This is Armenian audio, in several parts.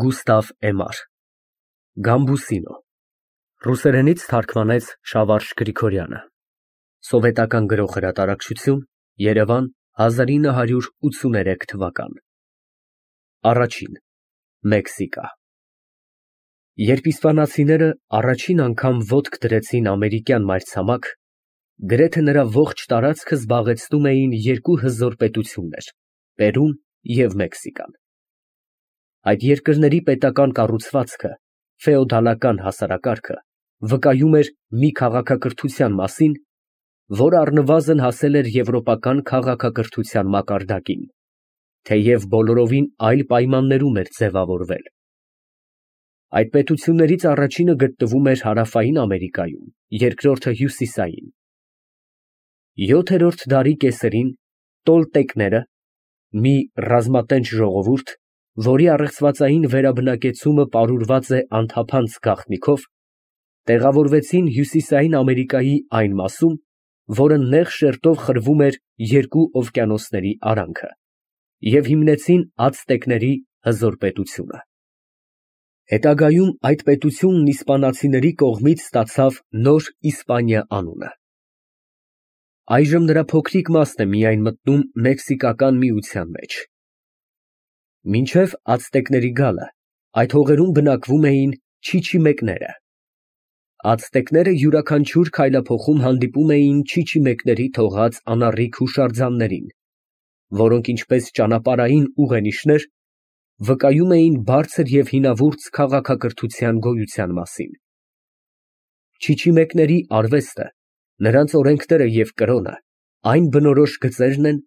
Գուստավ Էմար Գամբուսինո Ռուսերենից թարգմանեց Շավարշ Գրիգորյանը Սովետական գրող հրատարակչություն Երևան 1983 թվական Առաջին Մեքսիկա Երբ իսպանացիները առաջին անգամ ոտք դրեցին ամերիկյան մայրցամաք, գրեթե նրա ողջ տարածքը զբաղեցնում էին երկու հզոր պետություններ՝ Պերուն և Մեքսիկան։ Այդ երկրների պետական կառուցվածքը, ֆեոդալական հասարակարգը, վկայում էր մի քաղաքակրթության մասին, որը առնվազն հասել էր եվրոպական քաղաքակրթության մակարդակին, թեև բոլորովին այլ պայմաններում էր ձևավորվել։ Այդ պետություններից առաջինը գտնվում էր Հարավային Ամերիկայում, երկրորդը հյուսիսային։ 7-րդ դարի կեսերին տոլտեկները, մի ռազմատենչ ժողովուրդ, որի առեղծվածային վերաբնակեցումը պարուրված է անթափանց գաղտնիքով, տեղավորվեցին Հյուսիսային Ամերիկայի այն մասում, որը նեղ շերտով խրվում էր երկու օվկիանոսների արանքը, և հիմնեցին ացտեկների հզոր պետությունը։ Հետագայում այդ պետությունն իսպանացիների կողմից ստացավ Նոր Իսպանիա անունը։ Այժմ նրա փոքրիկ մասն է միայն մտնում Մեքսիկական միության մեջ։ Մինչև ացտեկների գալը այդ հողերում բնակվում էին չիչիմեկները։ Ացտեկները յուրաքանչյուր քայլափոխում հանդիպում էին չիչիմեկների թողած անառիկ հուշարձաններին, որոնք ինչպես ճանապարհային ուղենիշներ, վկայում էին բարձր և հինավուրց քաղաքակրթության գոյության մասին։ Չիչիմեկների արվեստը, նրանց օրենքները և կրոնը այն բնորոշ գծերն են,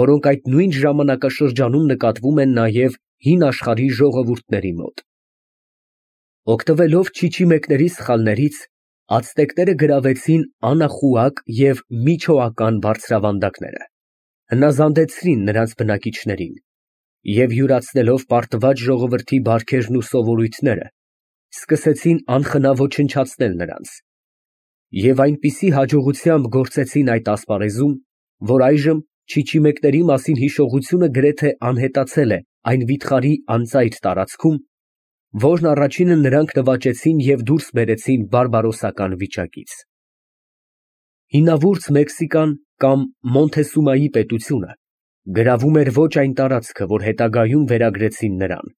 որոնք այդ նույն ժամանակաշրջանում նկատվում են նաև հին աշխարհի ժողովուրդների մոտ։ Օգտվելով չիչիմեկների սխալներից, ացտեկները գրավեցին Անախուակ և Միչոական բարձրավանդակները, հնազանդեցրին նրանց բնակիչներին և յուրացնելով պարտված ժողովրդի բարքերն ու սովորույթները, սկսեցին անխնա ոչնչացնել նրանց և այնպիսի հաջողությամբ գործեցին այդ ասպարեզում, որ այժմ չիչիմեկների մասին հիշողությունը գրեթե անհետացել է այն վիթխարի անծայր տարածքում, որն առաջինը նրանք նվաճեցին և դուրս բերեցին բարբարոսական վիճակից։ Հինավուրց Մեքսիկան կամ Մոնթեսումայի պետությունը գրավում էր ոչ այն տարածքը, որ հետագայում վերագրեցին նրան։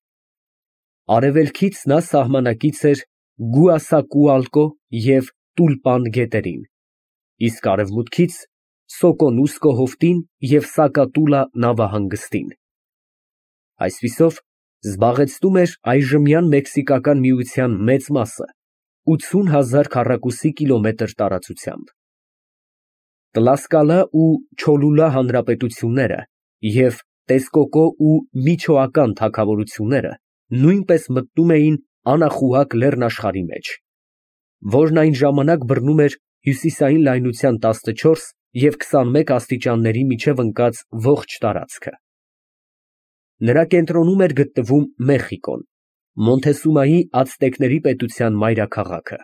Արևելքից նա սահմանակից էր Գուասակուալկո և Տուլպան գետերին, իսկ արևմուտքից Սոկոնուսկո հովտին և Սակատուլա նավահանգստին։ Այսպիսով, զբաղեցնում էր այժմյան Մեքսիկական միության մեծ մասը 80,000 քառակուսի կիլոմետր տարածությամբ։ Տլասկալա ու Չոլուլա հանրապետությունները և Տեսկոկո ու Միչոական թագավորությունները նույնպես մտնում էին Անախուակ լեռնաշխարհի մեջ, որն այն ժամանակ բռնում էր հյուսիսային լայնության 14 և 21 աստիճանների միջև ընկած ողջ տարածքը։ Նրա կենտրոնում էր գտնվում Մեխիկոն, Մոնթեսումայի ացտեկների պետության մայրաքաղաքը։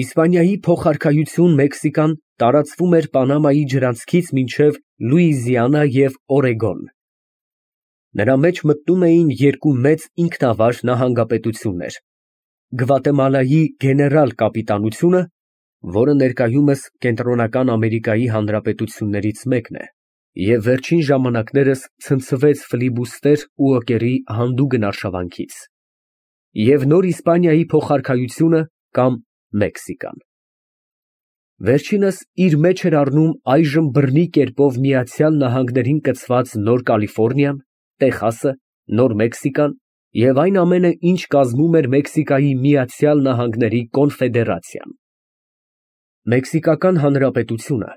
Իսպանիայի փոխարքայություն Մեքսիկան տարածվում էր Պանամայի ջրանցքից մինչև Լուիզիանա և Օրեգոն։ Նրա մեջ մտնում էին երկու մեծ ինքնավար նահանգապետություններ՝ Գվատեմալայի գեներալ կապիտանությունը, որը ներկայումս Կենտրոնական Ամերիկայի հանրապետություններից մեկն է, և վերջին ժամանակներս ցնցվեց ֆլիբուստեր ու օկերի հանդուգն արշավանքից, և Նոր Իսպանիայի փոխարքայությունը կամ Մեքսիկան։ Վերջինս իր մեջ էր առնում այժմ բռնի կերպով Միացյալ Նահանգներին կցված Նոր Կալիֆոռնիան, Տեխասը, Նոր Մեքսիկան և այն ամենը, ինչ կազմում էր Մեքսիկայի Միացյալ Նահանգների կոնֆեդերացիան։ Մեքսիկական հանրապետությունը,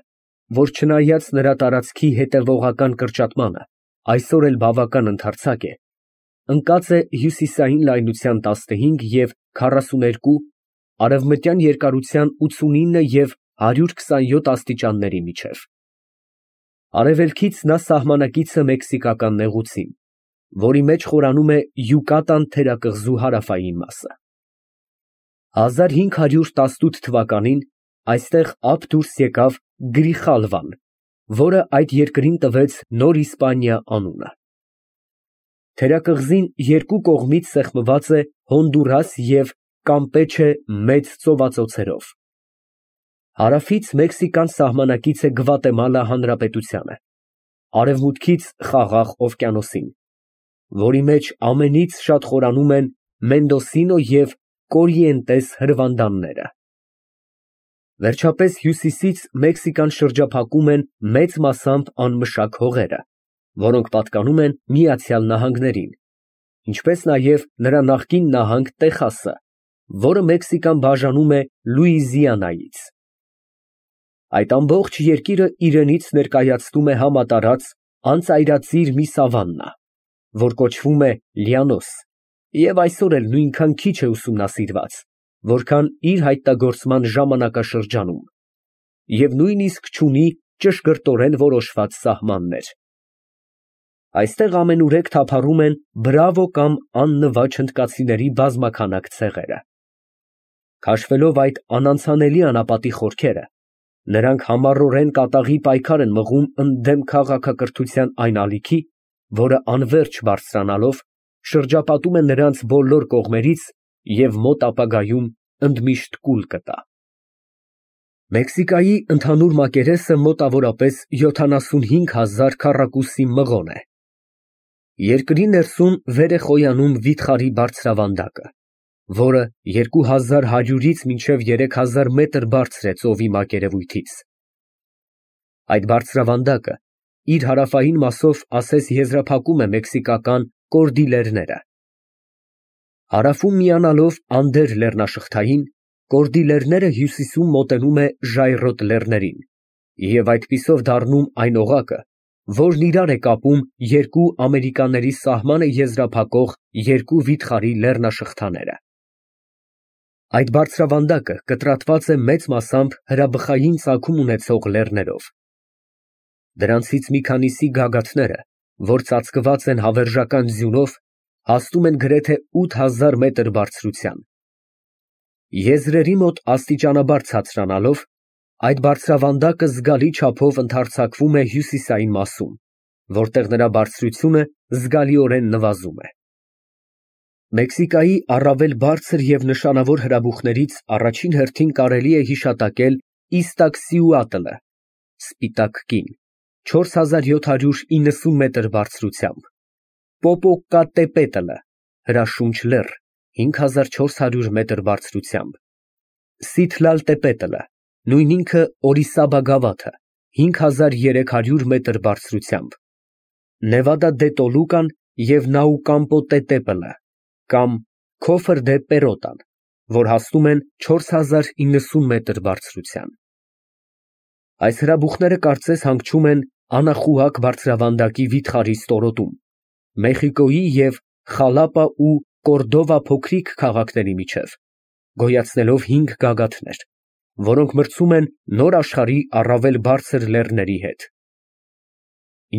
որ չնայած նրա տարածքի հետևողական կրճատմանը, այսօր էլ բավական ընդարձակ է, ընկած է հյուսիսային լայնության 15 և 42, արևմտյան երկարության 89 և 127 աստիճանների միջև։ Արևելքից նա սահմանակիցը մեքսիկական նեղուցին, որի մեջ խորանում է Յուկատան թերակղզու հարավային մասը։ 1518 թվականին այստեղ ափ դուրս եկավ Գրիխալվան, որը այդ երկրին տվեց Նոր Իսպանիա անունը։ Թերակղզին երկու կողմից սեղմված է Հոնդուրաս և Կամպեչե մեծ ծովածոցերով։ Հարավից Մեքսիկան սահմանակից է Գվատեմալա հանրապետությանը, արևմուտքից Խաղաղ օվկիանոսին, որի մեջ ամենից շատ խորանում են Մենդոսինո և Կորիենտես հրվանդանները։ Վերջապես հյուսիսից Մեքսիկան շրջափակում են մեծ մասամբ անմշակ հողերը, որոնք պատկանում են Միացյալ Նահանգներին, ինչպես նաև նրա նախկին նահանգ Տեխասը, որը Մեքսիկան բաժանում է Լուիզիանայից։ Այդ ամբողջ երկիրը իրենից ներկայացնում է համատարած անծայրածիր մի սավաննա, որ կոչվում է Լիանոս, և այսօր էլ նույնքան քիչ է ուսումնասիրված, որքան իր հայտնագործման ժամանակաշրջանում, և նույնիսկ չունի ճշգրտորեն որոշված սահմաններ։ Այստեղ ամենուրեք թափառում են բրավո կամ աննվաջ հնդկացիների բազմաքանակ ցեղերը։ Քաշվելով այդ անանցանելի անապատի խորքերը, նրանք համառորեն կատաղի պայքար են մղում ընդդեմ քաղաքակրթության այն ալիքի, որը անվերջ բարձրանալով շրջապատում է նրանց բոլոր կողմերից և մոտ ապագայում ընդմիշտ կուլ կտա։ Մեքսիկայի ընդհանուր մակերեսը մոտավորապես 75,000 քառակուսի մղոն է։ Երկրի ներսում վեր է խոյանում վիթխարի բարձրավանդակը, որը 2100-ից մինչև 3000 մետր բարձր է ծովի մակերևույթից։ Այդ բարձրավանդակը իր հարավային մասով ասես եզրափակում է մեքսիկական կորդիլերները։ Հարավում միանալով Անդեր լեռնաշղթային, կորդիլերները հյուսիսում մոտենում է ժայռոտ լեռներին և այդպիսով դառնում այն օղակը, որն իրար է կապում երկու Ամերիկաների սահմանը եզրափակող երկու վիթխարի լեռնաշղթաները։ Այդ բարձրավանդակը կտրատված է մեծ մասամբ հրաբխային ծագում ունեցող լեռներով։ Դրանցից մի քանիսի գագաթները, որ ծածկված են հավերժական ձյունով, հասնում են գրեթե 8000 մետր բարձրության։ Եզրերի մոտ աստիճանաբար ցածրանալով, այդ բարձրավանդակը զգալի չափով ընդարձակվում է հյուսիսային մասում, որտեղ նրա բարձրությունը զգալիորեն նվազում է։ Մեքսիկայի առավել բարձր և նշանավոր հրաբուխներից առաջին հերթին կարելի է հիշատակել Իստաքսիուատլը (սպիտակ կին) 4790 մետր բարձրությամբ, Պոպոկատեպետլը (հրաշունչ լեռ) 5400 մետր բարձրությամբ, Սիթլալտեպետլը (նույն ինքը Օրիսաբա գավաթը) 5300 մետր բարձրությամբ, Նևադա դե Տոլուկան և Նաուկամպոտետեպլը կամ Քոֆր դե Պերոտան, որ հասնում են 4090 մետր բարձրության։ Այս հրաբուխները կարծես հանգչում են Անախուակ բարձրավանդակի վիթխարի ստորոտում, Մեխիկոյի և Խալապա ու Կորդովա փոքրիկ քաղաքների միջև, գոյացնելով 5 գագաթներ, որոնք մրցում են Նոր աշխարհի առավել բարձր լեռների հետ։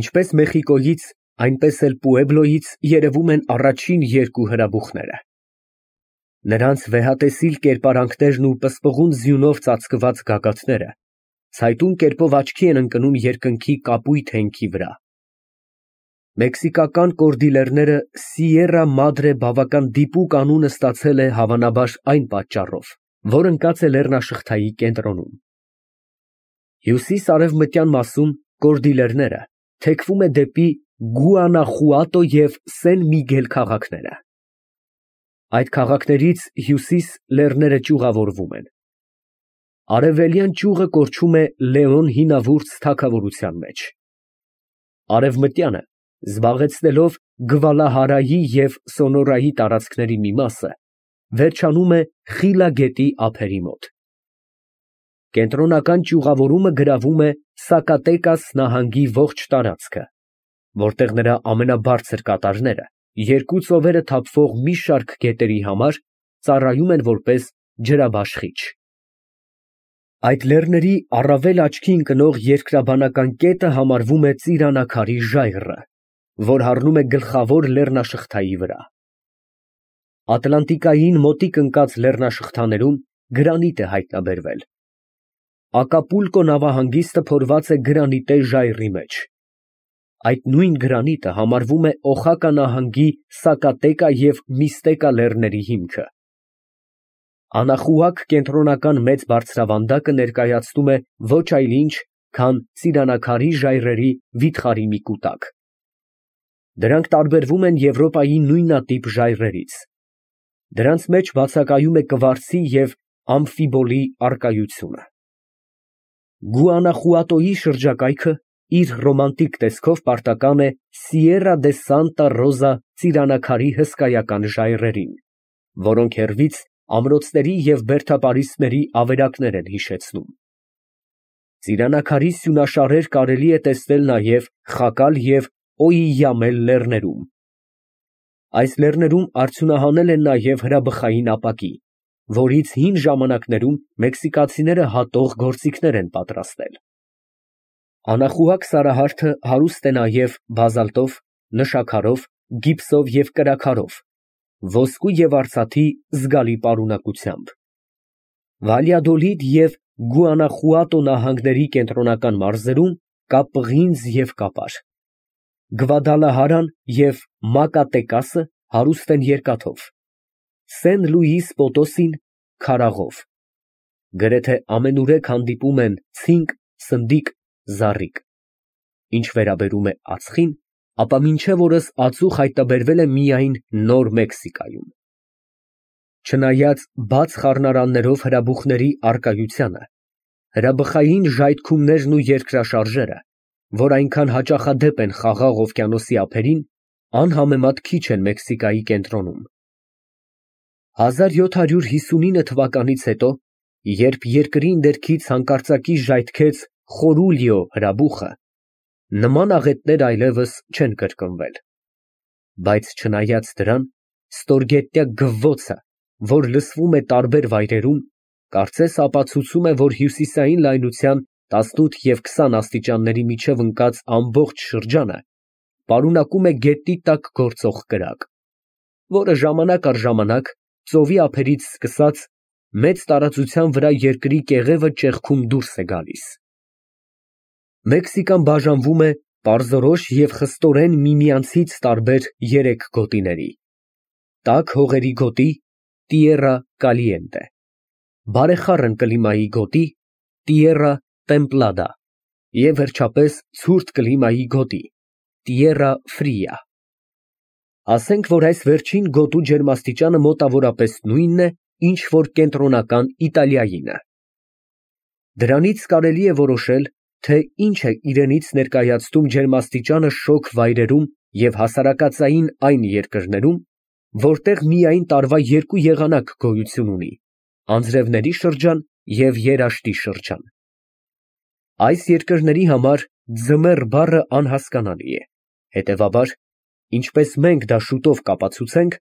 Ինչպես Մեխիկոյից, այնպես էլ Պուեբլոյից երևում են առաջին երկու հրաբուխները։ Նրանց վեհատեսիլ կերպարանքներն ու պսպղուն ձյունով ծածկված գագաթները ցայտուն կերպով աչքի են ընկնում երկնքի կապույտ հենքի վրա։ Մեքսիկական կորդիլերները Սիերա Մադրե բավական դիպուկ անունը ստացել է հավանաբար այն պատճառով, որ ընկած է լեռնաշղթայի կենտրոնում։ Հյուսիս֊արևմտյան մասում կորդիլերները թեքվում է դեպի Գուանախուատո և Սեն Միգել քաղաքները։ Այդ քաղաքներից հյուսիս լեռները ճյուղավորվում են։ Արևելյան ճյուղը կորչում է Լեոն հինավուրց թագավորության մեջ։ Արևմտյանը, զբաղեցնելով Գվալահարայի և Սոնորայի տարածքների մի մասը, վերջանում է Խիլա գետի ափերի մոտ։ Կենտրոնական ճյուղավորումը գրավում է Սակատեկաս նահանգի ողջ տարածքը, որտեղ նրա ամենաբարձր կատարները երկու ծովերը թափվող մի շարք գետերի համար ծառայում են որպես ջրաբաշխիչ։ Այդ լեռների առավել աչքի ընկնող երկրաբանական կետը համարվում է Ծիրանաքարի ժայռը, որ հառնում է գլխավոր լեռնաշղթայի վրա։ Ատլանտիկային մոտիկ ընկած լեռնաշղթաներում գրանիտ է հայտնաբերվել։ Ակապուլկո նավահանգիստը փորված է գրանիտե ժայռի մեջ։ Այդ նույն գրանիտը համարվում է Օխակա նահանգի Սակատեկա և Միստեկա լեռների հիմքը։ Անախուակ կենտրոնական մեծ բարձրավանդակը ներկայացնում է ոչ այլ ինչ, քան ծիրանաքարի ժայռերի վիթխարի մի կուտակ։ Դրանք տարբերվում են Եվրոպայի նույնատիպ ժայռերից։ Դրանց մեջ բացակայում է կվարցի և ամֆիբոլի առկայությունը։ Գուանախուատոյի շրջակայքը իր ռոմանտիկ տեսքով պարտական է Սիերա դե Սանտա Ռոզա ծիրանաքարի հսկայական ժայռերին, որոնք հեռվից ամրոցների և բերդապարիսպների ավերակներ են հիշեցնում։ Ծիրանաքարի սյունաշարեր կարելի է տեսնել նաև Խակալ և Օիյամել լեռներում։ Այս լեռներում արդյունահանել են նաև հրաբխային ապակի, որից հին ժամանակներում մեքսիկացիները հատող գործիքներ են պատրաստել։ Անախուակ սարահարթը հարուստ է նաև բազալտով, նշաքարով, գիպսով և կրաքարով, ոսկու և արծաթի զգալի պարունակությամբ։ Վալյադոլիդ և Գուանախուատո նահանգների կենտրոնական մարզերում կա պղինձ և կապար։ Գվադալահարան և Մակատեկասը հարուստ են երկաթով, Սեն Լուիս Պոտոսին՝ քարաղով։ Գրեթե ամենուրեք հանդիպում են ցինկ, սնդիկ, զառիկ։ Ինչ վերաբերում է ածխին, ապա մինչև օրս ածուխ հայտնաբերվել է միայն Նոր Մեքսիկայում։ Չնայած բաց խառնարաններով հրաբուխների առկայությանը, հրաբխային ժայթքումներն ու երկրաշարժերը, որ այնքան հաճախադեպ են Խաղաղ օվկիանոսի ափերին, անհամեմատ քիչ են Մեքսիկայի կենտրոնում։ 1759 թվականից հետո, երբ երկրի ներքից հանկարծակի ժայթքեց Խորուլիո հրաբուխը, նման աղետներ այլևս չեն կրկնվել։ Բայց չնայած դրան, ստորգետնյա գվվոցը, որ լսվում է տարբեր վայրերում, կարծես ապացուցում է, որ հյուսիսային լայնության 18 և 20 աստիճանների միջև ընկած ամբողջ շրջանը պարունակում է գետնի տակ գործող կրակ, որը ժամանակ առ ժամանակ, ծովի ափերից սկսած, մեծ տարածության վրա երկրի կեղևը ճեղքում դուրս է գալիս։ Մեքսիկան բաժանվում է պարզորոշ և խստորեն միմյանցից տարբեր երեք գոտիների. տաք հողերի գոտի Տիերա Կալիենտե, բարեխառն կլիմայի գոտի Տիերա Տեմպլադա և վերջապես ցուրտ կլիմայի գոտի Տիերա Ֆրիա։ Ասենք, որ այս վերջին գոտու ջերմաստիճանը մոտավորապես նույնն է, ինչ որ կենտրոնական Իտալիայինը։ Դրանից կարելի է որոշել, թե ինչ է իրենից ներկայացնում ջերմաստիճանը շոգ վայրերում և հասարակածային այն երկրներում, որտեղ միայն տարվա երկու եղանակ գոյություն ունի՝ անձրևների շրջան և երաշտի շրջան։ Այս երկրների համար ձմեռ բառը անհասկանալի է, հետևաբար, ինչպես մենք դա շուտով կապացուցենք,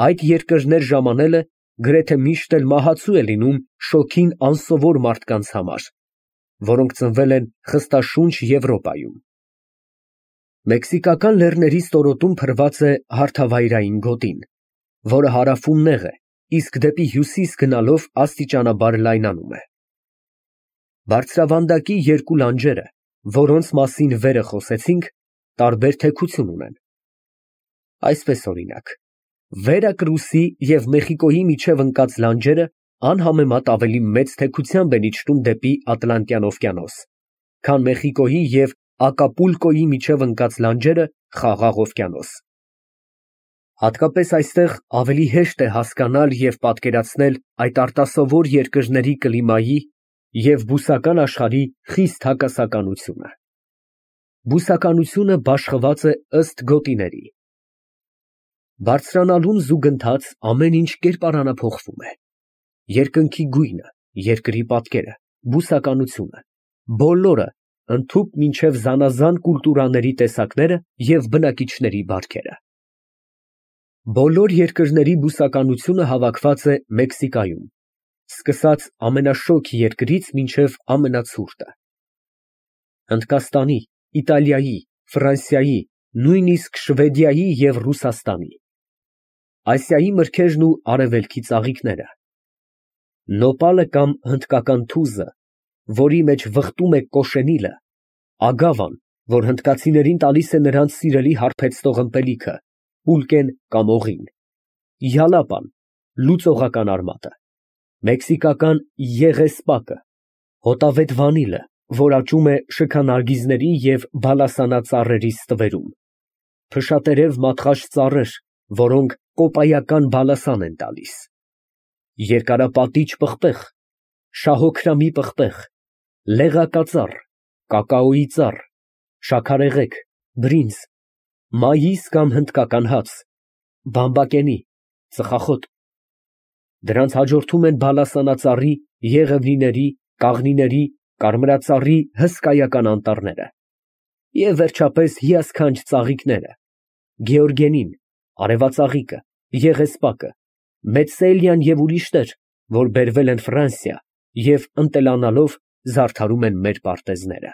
այդ երկրներ ժամանելը գրեթե միշտ էլ մահացու է լինում շոգին անսովոր մարդկանց համար, որոնք ծնվել են խստաշունչ Եվրոպայում։ Մեքսիկական լեռների ստորոտում փռված է հարթավայրային գոտին, որը հարավում նեղ է, իսկ դեպի հյուսիս գնալով աստիճանաբար լայնանում է։ Բարձրավանդակի երկու լանջերը, որոնց մասին վերը խոսեցինք, տարբեր թեքություն ունեն։ Այսպես օրինակ, Վերակրուսի և Մեխիկոյի միջև ընկած լանջերը անհամեմատ ավելի մեծ թեքությամբ են իջնում դեպի Ատլանտյան օվկիանոս, քան Մեխիկոյի և Ակապուլկոյի միջև ընկած լանջերը Խաղաղ օվկիանոս։ Հատկապես այստեղ ավելի հեշտ է հասկանալ և պատկերացնել այդ արտասովոր երկրների կլիմայի և բուսական աշխարհի խիստ հակասականությունը։ Բուսականությունը բաշխված է ըստ գոտիների։ Բարձրանալուն զուգընթաց ամեն ինչ կերպարանափոխվում է. երկնքի գույնը, երկրի պատկերը, բուսականությունը, բոլորը, ընդհուպ մինչև զանազան կուլտուրաների տեսակները և բնակիչների բարքերը։ Բոլոր երկրների բուսականությունը հավաքված է Մեքսիկայում, սկսած ամենաշոգ երկրից մինչև ամենացուրտը։ Հնդկաստանի, Իտալիայի, Ֆրանսիայի, նույնիսկ Շվեդիայի և Ռուսաստանի, Ասիայի մրգերն ու Արևելքի ծաղիկները, նոպալը կամ հնդկական թուզը, որի մեջ վխտում է կոշենիլը, ագավան, որ հնդկացիներին տալիս է նրանց սիրելի հարբեցնող ըմպելիքը, պուլկեն կամ օղին, յալապան, լուծողական արմատը, մեքսիկական եղեսպակը, հոտավետ վանիլը, որ աճում է շքանարգիզների և բալասանա ծառերի ստվերում, փշատերև մատղաշ ծառեր, որոնք կոպայական բալասան են տալիս, երկարապատիճ պղպեղ, շահոքրամի պղպեղ, լեղակածառ, կակաոյի ծառ, շաքարեղեգ, բրինձ, մայիս կամ հնդկական հաց, բամբակենի, ծխախոտ։ Դրանց հաջորդում են բալասանածառի, եղևնիների, կաղնիների, կարմրածառի հսկայական անտառները և վերջապես հիասքանչ ծաղիկները, գեորգենին, արևածաղիկը, եղեսպակը, մեծսելիան և ուրիշներ, որ բերվել են Ֆրանսիա և ընտելանալով զարդարում են մեր պարտեզները։